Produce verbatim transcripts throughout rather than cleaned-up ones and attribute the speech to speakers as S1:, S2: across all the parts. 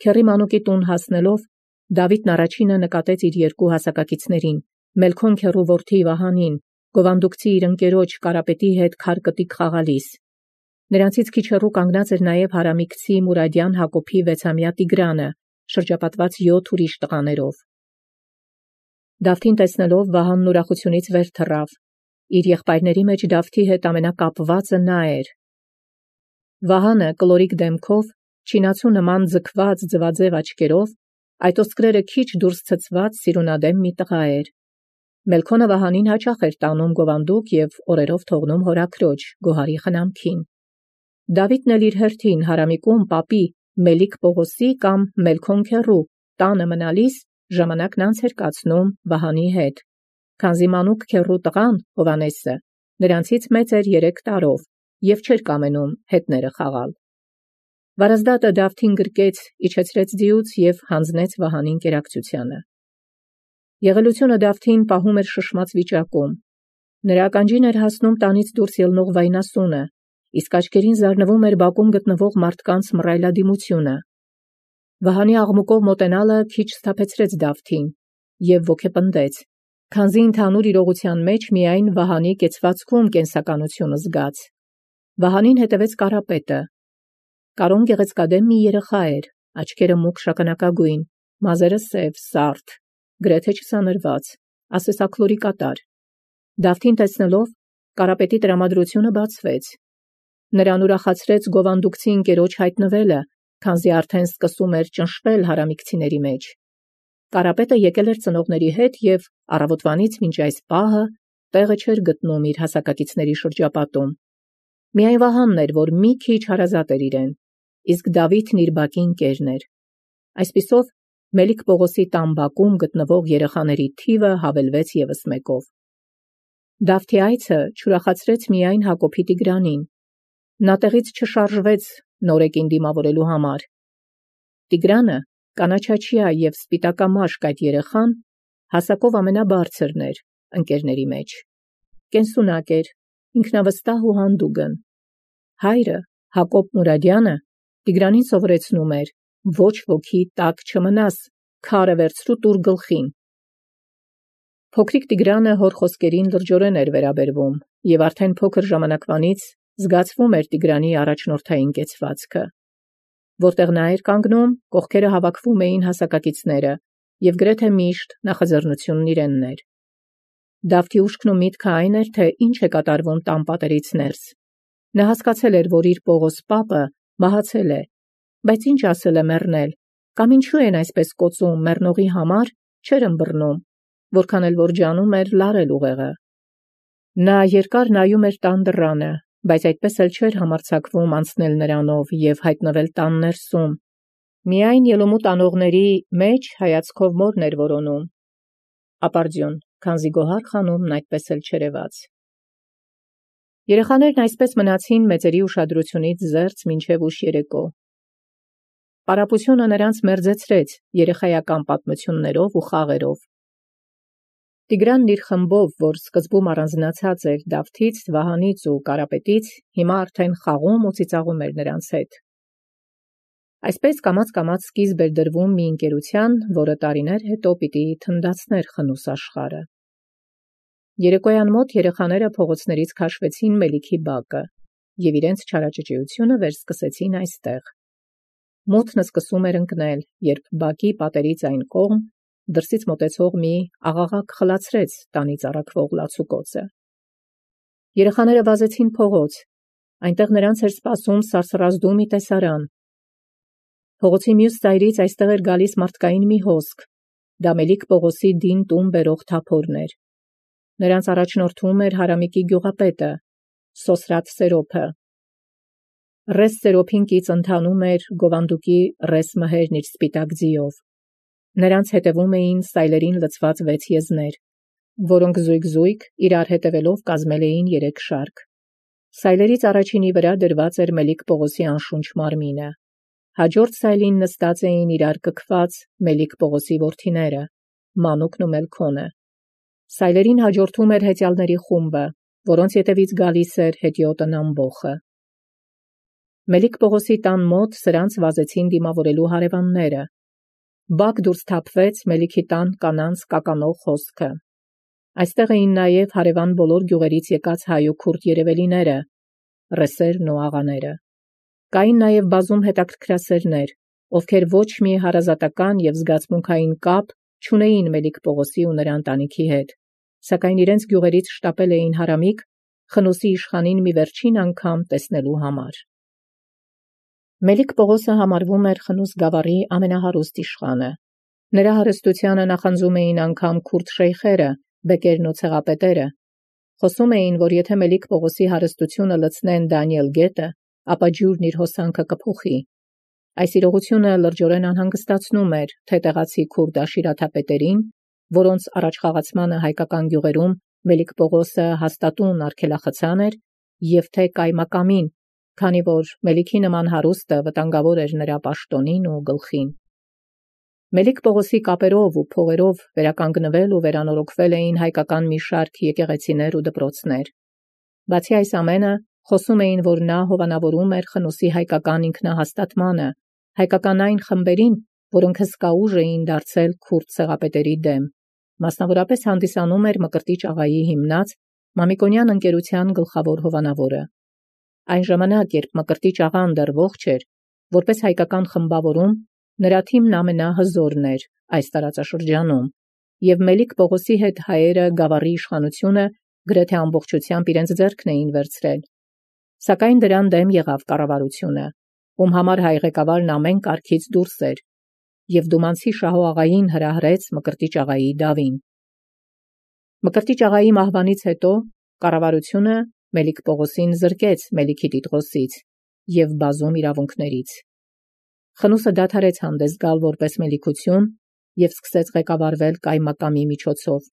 S1: Քեռի մանուկի տուն հասնելով, Դավիթն առաջինը նկատեց իր երկու հասակակիցներին, Մելքոն քեռու որդի Վահանին, գովանդուկցի իր ընկերոջ Կարապետի հետ քարկտիկ խաղալիս։ Նրանցից քիչ հեռու կանգնած էր նաև հարամիկցի Մուրադյան Հակոբի վեցամյա Տիգրանը, շրջապատված յոթ ուրիշ տղաներով։ Դավթին տեսնելով Վահանն ուրախությունից վեր թռավ։ Իր եղբայրների մեջ Դավթի հետ ամենակապվածը նա էր։ Վահանը կլորիկ դեմքով, չինացու նման ձգված ձվաձև աչքերով, այդ ոսկրերը քիչ դուրս ցցված սիրունադեմ մի տղա էր։ Մելքոնը Վահանին հաճախ էր տանում գովանդուկ և օրերով թողնում հորաքրոջ Գոհարի խնամքին։ Դավիթն էլ իր հերթին հարամիկում պապի Մելիք Պողոսի կամ Մելքոն քեռու տանը մնալիս ժամանակն անց էր կացնում Վահանի հետ, քանզի մանուկ քեռու տղան Հովհաննեսը նրանցից մեծ էր երեք տարով և չէր կամենում հետները խաղալ։ Վարազդատը Դավթին գրկեց, իջեցրեց ձիուց և հանձնեց Վահանին կերակցությանը։ Եղելությունը Դավթին պահում էր շշմած վիճակում։ Նրա ականջին էր հասնում տանից դուրս ելնող վայնասունը, իսկ աչքերին զարնվում էր բակում գտնվող մարդկանց մռայլադիմությունը։ Վահանի աղմուկով մոտենալը քիչ սթափեցրեց Դավթին և ոգեպնդեց, քանզի ընդհանուր իրողության մեջ միայն Վահանի կեցվածքում կենսականությունը զգաց։ Վահանին հետևեց Կարապետը։ Կարուն գեղեցկադեմ մի երեխա էր, աչքերը մուգ շագանակագույն, մազերը սև, սարդ, գրեթե չսանրված, ասեսաքլորի կատար։ Դավթին տեսնելով, Կարապետի տրամադրությունը բացվեց։ Նրան ուրախացրեց գովանդուկցի ընկերոջ հայտնվելը, քանզի արդեն սկսում էր ճնշվել հարամիկցիների մեջ։ Կարապետը եկել էր ծնողների հետ և առավոտվանից մինչ այս պահը տեղը չէր գտնում իր հասակակիցների շրջապատում։ Միայն Վահանն էր, որ մի քիչ հարազատ էր իրեն, իսկ Դավիթն իր բակի ընկերն էր։ Այսպիսով, Մելիք Պողոսի տան բակում գտնվող երեխաների թիվը հավելվեց ևս մեկով։ Դավթի այցը չուրախացրեց միայն Հակոբի Տիգրանին։ Նա տեղից չշարժվեց նորեկին դիմավորելու համար։ Տիգրանը, կանաչաչյա և սպիտակամաշկ այդ երեխան, հասակով ամենաբարձրն էր ընկերների մեջ։ Կենսունակ էր, ինքնավստահ ու հանդուգն։ Հայրը, Հակոբ Մուրադյանը, Տիգրանին սովորեցնում էր. ոչ ոքի տակ չմնաս, քարը վերցրու տուր գլխին։ Փոքրիկ Տիգրանը հոր խոսքերին լրջորեն էր վերաբերվում, և արդեն փոքր ժամանակվանից զգացվում էր Տիգրանի առաջնորդային կեցվածքը։ Որտեղ նա էր կանգնում, կողքերը հավաքվում էին հասակակիցները, և գրեթե միշտ նախաձեռնությունն իրենն էր։ Դավթի ուշքն ու միտքը այն էր, թե ինչ է կատարվում տան պատերից ներս։ Նա հասկացել էր, որ իր Պողոս պապը մահացել է, բայց ինչ ասել է մեռնել, կամ ինչու են այսպես կոծում մեռնողի համար, չէր ըմբռնում, որքան էլ որ ջանում էր լարել ուղեղը։ Նա երկար նայում էր տան դռանը, բայց այդպես էլ չէր համարձակվում անցնել նրանով և հայտնվել տան ներսում։ Միայն ելումուտ անողների մեջ հայացքով մորն էր որոնում։ Ապարդյուն, քանզի Գոհար խանումն այդպես էլ չերևաց։ Երեխաներն այսպես մնացին մեծերի ուշադրությունից զերծ մինչև ուշ երեկո։ Պարապությունը նրանց մերձեցրեց երեխայական պատմություններով ու խաղերով։ Տիգրանն իր խմբով, որ սկզբում առանձնացած էր Դավթից, Վահանից ու Կարապետից, հիմա արդեն խաղում ու ծիծաղում էր նրանց հետ։ Այսպես կամաց-կամաց սկիզբ էր դրվում մի ընկերության, որը տարիներ հետո պիտի թնդացներ խնուս աշխարհը։ Երեկոյան մոտ երեխաները փողոցներից քաշվեցին Մելիքի բակը և իրենց չարաճճիությունը վերսկսեցին այստեղ։ Մութն սկսում էր ընկնել, երբ բակի պատերից այն կողմ դրսից մոտեցող մի աղաղակ խլացրեց տանից առաքվող լացուկոցը։ Երեխաները վազեցին փողոց, այնտեղ նրանց էր սպասում սարսռազդու մի տեսարան։ Փողոցի մյուս ծայրից այստեղ էր գալիս մարդկային մի հոսք, դա Մելիք Պողոսի դին տուն բերող թափորն էր։ Նրանց առաջնորդում էր հարամիկի գյուղապետը, Սոսրաթ Սերոփը։ Ռես Սերոփին կից ընթանում էր գովանդուկի ռես մհերն իր սպիտակ ձիով։ Նրանց հետևում էին սայլերին լցված վեց եզներ, որոնք զույգ-զույգ իրար հետևելով կազմել էին երեք շարք։ Սայլերից առաջինի վրա դրված էր Մելիք Պողոսի անշունչ մարմինը։ Հաջորդ սայլին նստած էին իրար կքված Մելիք Պողոսի որդիները, Մանուկն ու Մելքոնը։ Սայլերին հաջորդում էր հեծյալների խումբը, որոնց ետևից գալիս էր հետիոտն ամբոխը։ Մելիք Պողոսի տան մոտ սրանց վազեցին դիմավորելու հարևանները։ Բակ դուրս թափվեց Մելիքի տան կանանց կականող խոսքը։ Այստեղ էին նաև հարևան բոլոր գյուղերից եկած հայ ու քուրդ երևելիները, ռեսերն ու աղաները։ Կային նաև բազում հետաքրքրասերներ, ովքեր ոչ մի հարազատական և զգացմունքային կապ չունեին Մելիք Պողոսի ու նրա ընտանիքի հետ, սակայն իրենց գյուղերից շտապել էին հարամիկ Խնոսի իշխանին մի վերջին անգամ տեսնելու համար։ Մելիք Պողոսը համարվում էր Խնուս գավառի ամենահարուստ իշխանը։ Նրա հարստությանը նախանձում էին անգամ քուրդ շեյխերը, բեկերն ու ցեղապետերը։ Խոսում էին, որ եթե Մելիք Պողոսի հարստությունը լցնեն Դանիել գետը, ապա ջուրն իր հոսանքը կփոխի։ Այս իրողությունը լրջորեն անհանգստացնում էր թե տեղացի քուրդ աշիրաթապետերին, որոնց առաջխաղացմանը հայկական գյուղերում Մելիք Պողոսը հաստատուն արգելախցան էր, և թե կայմակամին, քանի որ Մելիքի նման հարուստը վտանգավոր էր նրա պաշտոնին ու գլխին։ Մելիք Պողոսի կապերով ու փողերով վերականգնվել ու վերանորոգվել էին հայկական մի շարք եկեղեցիներ ու դպրոցներ։ Բացի այս ամենը, խոսում էին, որ նա հովանավորում էր Խնոսի հայկական ինքնահաստատմանը, հայկական այն խմբերին, որոնք հսկա ուժ էին դարձել քուրդ ցեղապետերի դեմ, մասնավորապես հանդիսանում էր Մկրտիչ աղայի հիմնած Մամիկոնյան ընկերության գլխավոր հովանավորը։ Այն ժամանակ, երբ Մկրտիչ աղան դեռ ողջ էր, որպես հայկական խմբավորում, նրա թիմն ամենահզորն էր այս տարածաշրջանում, և Մելիք Պողոսի հետ հայերը գավառի իշխանությունը գրեթե ամբողջությամբ իրենց ձեռքն էին վերցրել։ Սակայն դրան դեմ եղավ կառավարությունը, ում համար հայ ղեկավարն ամեն կարգից դուրս էր, և Դումանցի Շահո աղային հրահրեց Մկրտիչ աղայի դավին։ Մկրտիչ աղայի մահվանից հետո կառավարությունը Մելիք Պողոսին զրկեց Մելիքի տիտղոսից և բազում իրավունքներից։ Խնուսը դադարեց հանդես գալ որպես մելիքություն և սկսեց ղեկավարվել կայմակամի միջոցով։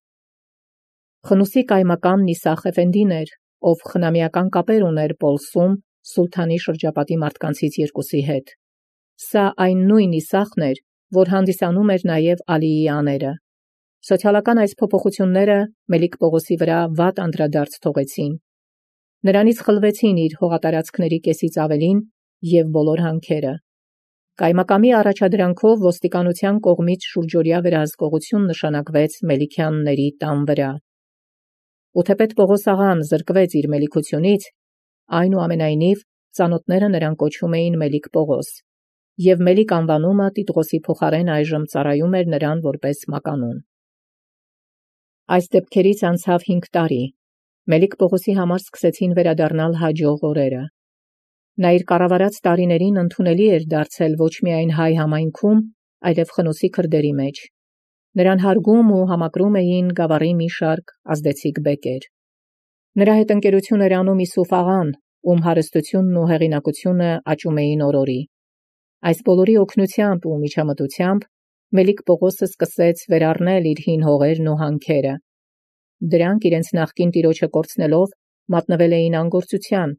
S1: Խնուսի կայմակամն Իսախ Էֆենդին էր, ով խնամիական կապեր ուներ Պոլսում սուլթանի շրջապատի մարդկանցից երկուսի հետ։ Սա այն նույն Իսախն էր, որ հանդիսանում էր նաև Ալիի աները։ Սոցիալական այս փոփոխությունները Մելիք Պողոսի վրա վատ անդրադարձ թողեցին։ Նրանից խլվեցին իր հողատարածքների կեսից ավելին և բոլոր հանքերը։ Կայմակամի առաջադրանքով ոստիկանության կողմից շուրջօրյա վերահսկողություն նշանակվեց Մելիքյանների տան վրա։ Ու թեպետ Պողոս աղան զրկվեց իր մելիքությունից, այնուամենայնիվ ծանոթները նրան կոչում էին Մելիք Պողոս, և Մելիք անվանումը տիտղոսի փոխարեն այժմ ծառայում էր նրան որպես մականուն։ Այս դեպքերից անցավ հինգ տարի։ Մելիք Պողոսի համար սկսեցին վերադառնալ հաջող օրերը։ Նա իր կառավարած տարիներին ընդունելի էր դարձել ոչ միայն հայ համայնքում, այլև Խնոսի քրդերի մեջ։ Նրան հարգում ու համակրում էին գավառի մի շարք ազդեցիկ բեկեր։ Նրա հետ ընկերություն էր անում Իսուֆ աղան, ում հարստությունն ու հեղինակությունը աճում էին օր-օրի։ Այս բոլորի օգնությամբ ու միջամտությամբ Մելիք Պողոսը սկսեց վերառնել իր հին հողերն ու հանքերը։ Դրանք իրենց նախկին տիրոջը կորցնելով մատնվել էին անգործության,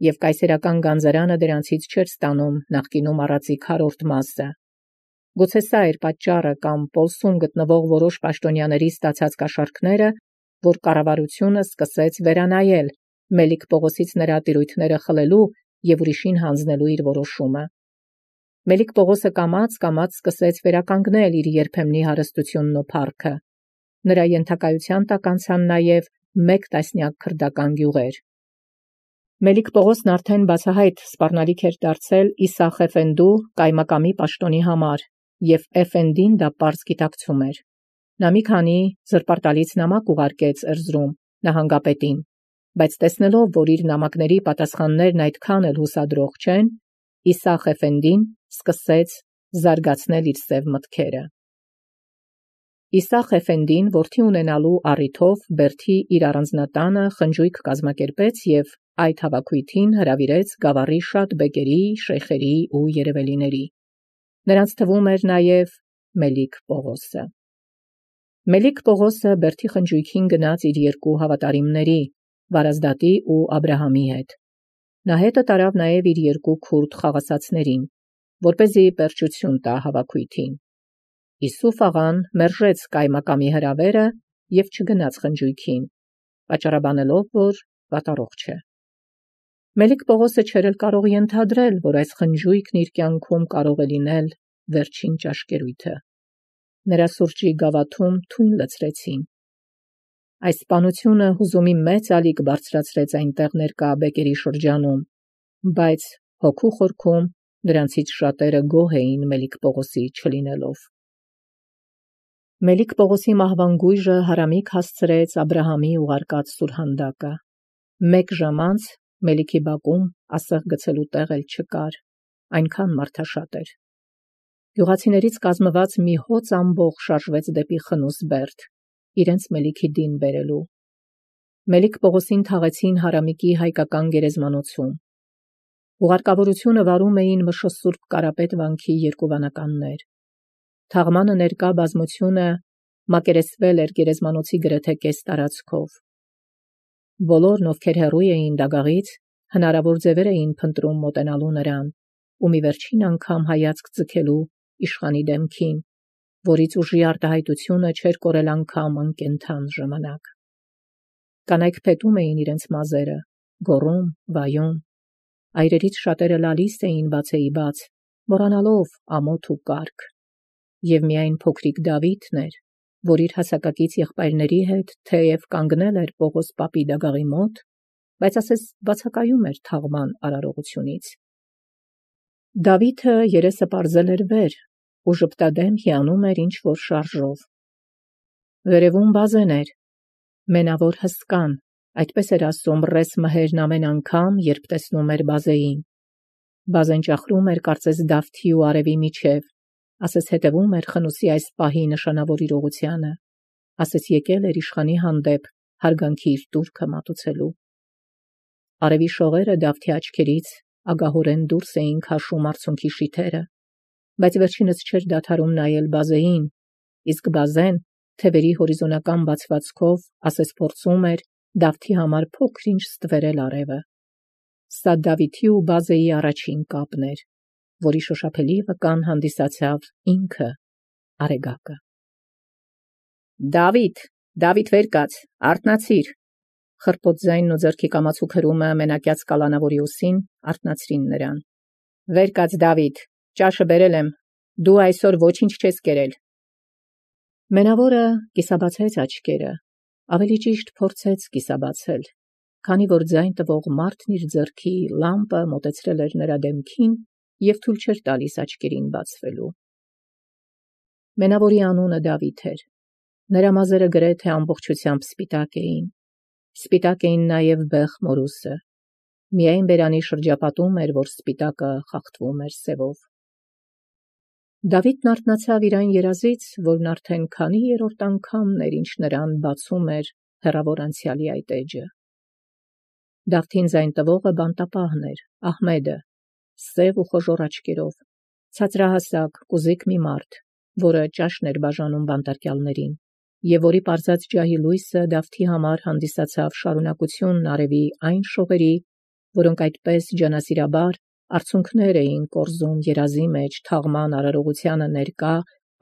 S1: և կայսերական գանձարանը դրանցից չէր ստանում նախկինում առածի քառորդ մասը։ Գուցե սա էր պատճառը կամ Պոլսում գտնվող որոշ պաշտոնյաների ստացած կաշառքները, որ կառավարությունը սկսեց վերանայել Մելիք Պողոսից նրա տիրույթները խլելու և ուրիշին հանձնելու իր որոշումը։ Մելիք Պողոսը կամաց-կամաց սկսեց վերականգնել իր երբեմնի հարստությունն ու փառքը։ Նրա ենթակայության տակ անցան նաև մեկ տասնյակ քրդական գյուղեր։ Մելիք Պողոսն արդեն բացահայտ սպառնալիք էր դարձել Իսախ Էֆենդու կայմակամի պաշտոնի համար, և Էֆենդին դա պարզ գիտակցում էր։ Նա մի քանի զրպարտալից նամակ ուղարկեց Էրզրում նահանգապետին, բայց տեսնելով, որ իր նամակների պատասխաններն այդքան էլ հուսադրող չեն, Իսախ Էֆենդին սկսեց զարգացնել իր սև մտքերը։ Իսախ Էֆենդին որդի ունենալու առիթով Բերդի իր առանձնատանը խնջույք կազմակերպեց և այդ հավաքույթին հրավիրեց գավառի շատ բեկերի, շեյխերի ու երևելիների։ Նրանց թվում էր նաև Մելիք Պողոսը։ Մելիք Պողոսը Բերդի խնջույքին գնաց իր երկու հավատարիմների՝ Վարազդատի ու Աբրահամի հետ։ Նա հետը տարավ նաև իր երկու քուրդ խաղացածներին, որպեսզի պերճություն տա հավաքույթին։ Իսուֆ աղան մերժեց կայմակամի հրավերը և չգնաց խնջույքին, պատճառաբանելով, որ վատառողջ է։ Մելիք Պողոսը չէր էլ կարող ենթադրել, որ այս խնջույքն իր կյանքում կարող է լինել վերջին ճաշկերույթը։ Նրա սուրճի գավաթում թույն լցրեցին։ Այս սպանությունը հուզումի մեծ ալիք բարձրացրեց այնտեղ ներկա բեկերի շրջանում, բայց հոգու խորքում նրանցից շատերը գոհ էին Մելիք Պողոսի չլինելով։ Մելիք Պողոսի մահվան գույժը հարամիկ հասցրեց Աբրահամի ուղարկած սուրհանդակը։ Մեկ ժամ անց Մելիքի բակում ասեղ գցելու տեղ էլ չկար, այնքան մարդաշատ էր։ Գյուղացիներից կազմված մի հոծ ամբոխ շարժվեց դեպի Խնուս Բերդ, իրենց Մելիքի դին բերելու։ Մելիք Պողոսին թաղեցին հարամիկի հայկական գերեզմանոցում։ Ուղարկավորությունը վարում էին Մշո Սուրբ Կարապետ վանքի երկու վանականներ։ Թաղմանը ներկա բազմությունը մակերեսվել էր գերեզմանոցի գրեթե կես տարածքով։ Բոլորն, ովքեր հեռու էին դագաղից, հնարավոր ձևեր էին փնտրում մոտենալու նրան, ու մի վերջին անգամ հայացք ձգելու իշխանի դեմքին, որից ուժի արտահայտությունը չէր կորել անգամ անկենդան ժամանակ։ Կանայք փետում էին իրենց մազերը, գոռում, վայում։ Այրերից շատերը լալիս էին բացեի բաց, մոռանալով ամոթ ու կարգ։ Եվ միայն փոքրիկ Դավիթն էր, որ իր հասակակից եղբայրների հետ թեև կանգնել էր Պողոս պապի դագաղի մոտ, բայց ասես բացակայում էր թաղման արարողությունից։ Դավիթը երեսը պարզել էր վեր, ու ժպտադեմ հիանում էր ինչ-որ շարժով։ Վերևում Բազեն էր, մենավոր հսկան, այդպես էր ասում ռես Մհերն ամեն անգամ, երբ տեսնում էր Բազեին։ Բազեն ճախրում էր կարծես Դավթի ու արևի միջև, ասես հետևում էր Խնուսի այս պահի նշանավոր իրողությանը, ասես եկել էր իշխանի հանդեպ հարգանքի իր տուրքը մատուցելու։ Արևի շողերը Դավթի աչքերից ագահորեն դուրս էին քաշում արցունքի շիթերը, բայց վերջինս չէր դադարում նայել Բազեին, իսկ Բազեն թևերի հորիզոնական բացվածքով ասես փորձում էր Դավթի համար փոքր-ինչ ստվերել արևը։ Սա Դավիթի ու Բազեի առաջին կապն էր, որի շոշափելի վկան հանդիսացավ ինքը Արեգակը։ Դավիթ, Դավիթ վեր կաց, արթնացիր, խրպոտ ձայնն ու ձեռքի կամացուկ հրումը մենակյաց կալանավորի ուսին արթնացրին նրան։ Վեր կաց Դավիթ, ճաշը բերել եմ, դու այսօր ոչինչ չես կերել։ Մենավորը կիսաբացեց աչքերը, ավելի ճիշտ փորձեց կիսաբացել, քանի որ ձայն տվող մարդն իր ձեռքի լամպը մոտեցրել էր նրա դեմքին և թույլ չէր տալիս աչքերին բացվելու։ Մենավորի անունը Դավիթ էր, նրա մազերը գրեթե ամբողջությամբ սպիտակ էին, սպիտակ էին նաև բեղ մորուսը, միայն բերանի շրջապատում էր, որ սպիտակը խախտվում էր սևով։ Դավիթն արթնացավ իր այն երազից, որն արդեն քանի երրորդ անգամն էր, ինչ նրան բացում էր հեռավոր անցյալի այդ էջը։ Դավթին ձայն տվողը բանտապահն էր, Ահմեդը, սև ու խոժոռ աչքերով, ցածրահասակ, կուզիկ մի մարդ, որը ճաշն էր բաժանում բանտարկյալներին, և որի պարզած ջահի լույսը Դավթի համար հանդիսացավ շարունակությունն արևի այն շողերի, որոնք այդպես ջանասիրաբար արցունքներ էին կորզում երազի մեջ թաղման արարողությանը ներկա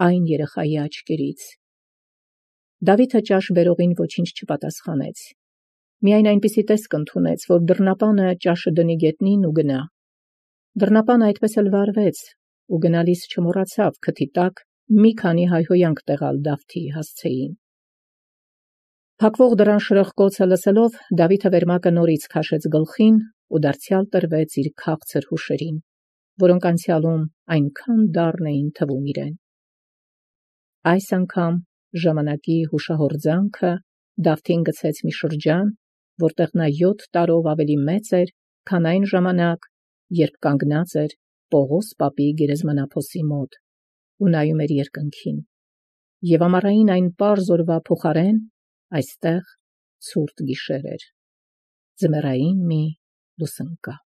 S1: այն երեխայի աչքերից։ Դավիթը ճաշ բերողին ոչինչ չպատասխանեց, միայն այնպիսի տեսք ընդունեց, որ դռնապանը ճաշը դնի գետնին ու գնա։ Դռնապանը այդպես էլ վարվեց, ու գնալիս չմոռացավ քթի տակ մի քանի հայհոյանք տեղալ Դավթի հասցեին։ Փակվող դռան շրխկոցը լսելով, Դավիթը վերմակը նորից քաշեց գլխին ու դարձյալ տրվեց իր քաղցր հուշերին, որոնք անցյալում այնքան դառն էին թվում իրեն։ Այս անգամ ժամանակի հուշահորձանքը Դավթին գցեց մի շրջան, որտեղ նա յոթ տարով ավելի մեծ էր, քան այն ժամանակ, երբ կանգնած էր Պողոս պապի գերեզմանափոսի մոտ ու նայում էր երկնքին, և ամառային այն պարզ օրվա փոխարեն այստեղ ցուրտ գիշեր էր, ձմեռային մի լուսանկար։